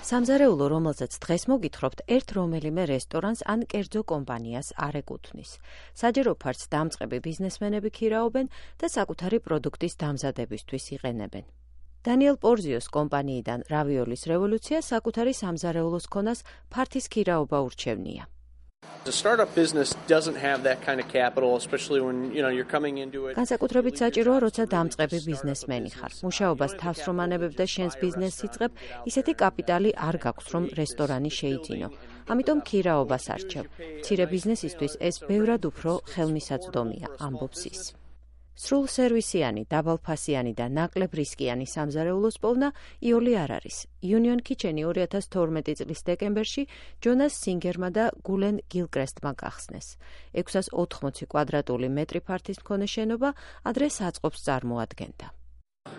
სამზარეულო, რომელზეც დღეს მოგითხრობთ, ერთ რომელიმე რესტორანს ან კერძო კომპანიას არ ეკუთვნის. საჯარო ფართს დამწყები ბიზნესმენები ქირაობენ და საკუთარი პროდუქტის დამზადებისთვის იყენებენ. დანიელ პორზიოს კომპანიიდან რავიოლის რევოლუცია საკუთარი სამზარეულოს ქონას ფართის ქირაობა ურჩევნია. A startup business doesn't have that kind of capital, especially when you're coming into it. განსაკუთრებით საჭიროა, როცა დამწყები ბიზნესმენი ხარ. მუშაობას თავს რომ ანებებ და შენს ბიზნესს იწყებ, ისეთი კაპიტალი არ გაქვს, რომ რესტორანი შეიძინო. ამიტომ ქირაობას არჩევ. მცირე ბიზნესისთვის ეს ბევრად უფრო ხელმისაწვდომია, ამბობს ის. სრულ სერვისიანი, დაბალფასიანი და ნაკლებ რისკიანი სამზარეულოს პოვნა იოლი არ არის. Union Kitchen-ი 2012 წლის დეკემბერში ჯონას სინგერმა და გულენ გილკრესტმა გახსნეს. 680 კვადრატული მეტრი ფართის მქონე შენობა ადრე საწყობს წარმოადგენდა.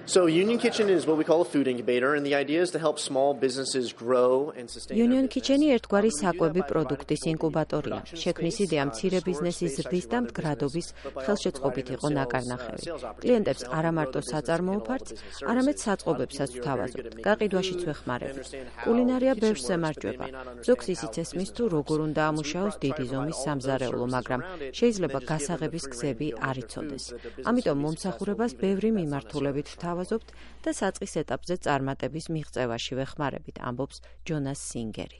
So Union Kitchen is what we call a food incubator, and the idea is to help small businesses grow and sustain. Union Kitchen-ი ერთგვარი საკვები პროდუქტის ინკუბატორია. შექმნის იდეა მცირე ბიზნესის ზრდის და მდგრადობის ხელშეწყობით იყო ნაკარნახევი. კლიენტებს არა მარტო საწარმოო ფართს, არამედ საწყობებსაც ვთავაზობთ. გაყიდვაშიც ვეხმარებით. კულინარია ბევრს ემარჯვება. ზოგს ისიც ესმის თუ როგორ უნდა ამუშაოს დიდი ზომის სამზარეულო, მაგრამ შეიძლება გასაღების გზები არ იცოდეს. ამიტომ მომსახურებას ბევრი მიმართულებით ვთავაზობთ და საწყის ეტაპზე წარმატების მიღწევაში ვეხმარებით, ამბობს ჯონას სინგერი.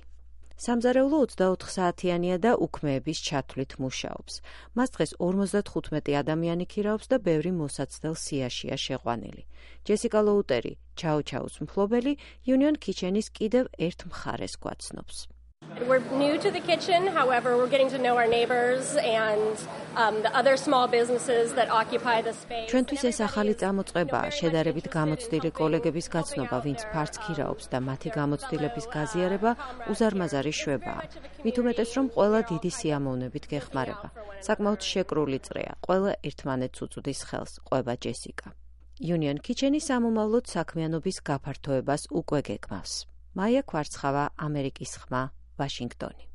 სამზარეულო 24 საათიანია და უქმეების ჩათვლით მუშაობს. მას დღეს 55 ადამიანი ქირაობს და ბევრი მოსაცდელ სიაშია შეყვანილი. ჯესიკა ლოუტერი, ჩაუჩაუს მფლობელი, Union Kitchen-ის კიდევ ერთ მხარეს გვაცნობს. We're new to the kitchen, however, we're getting to know our neighbors and the other small businesses that occupy the space. ჩვენთვის ეს ახალი წამოწყებაა, შედარებით გამოცდილი კოლეგების გაცნობა, ვინც ფართს ქირაობს და მათი გამოცდილების გაზიარება უზარმაზარი შვებაა. მით უმეტეს, რომ ყველა დიდი სიამოვნებით გეხმარება. საკმაოდ შეკრული წრეა, ყველა ერთმანეთს უწვდის ხელს, ყვება ჯესიკა. Union Kitchen-ი სამომავლოდ საქმიანობის გაფართოებას უკვე გეგმავს. მაია ქვარცხავა, ამერიკის ხმა, ვაშინგტონი.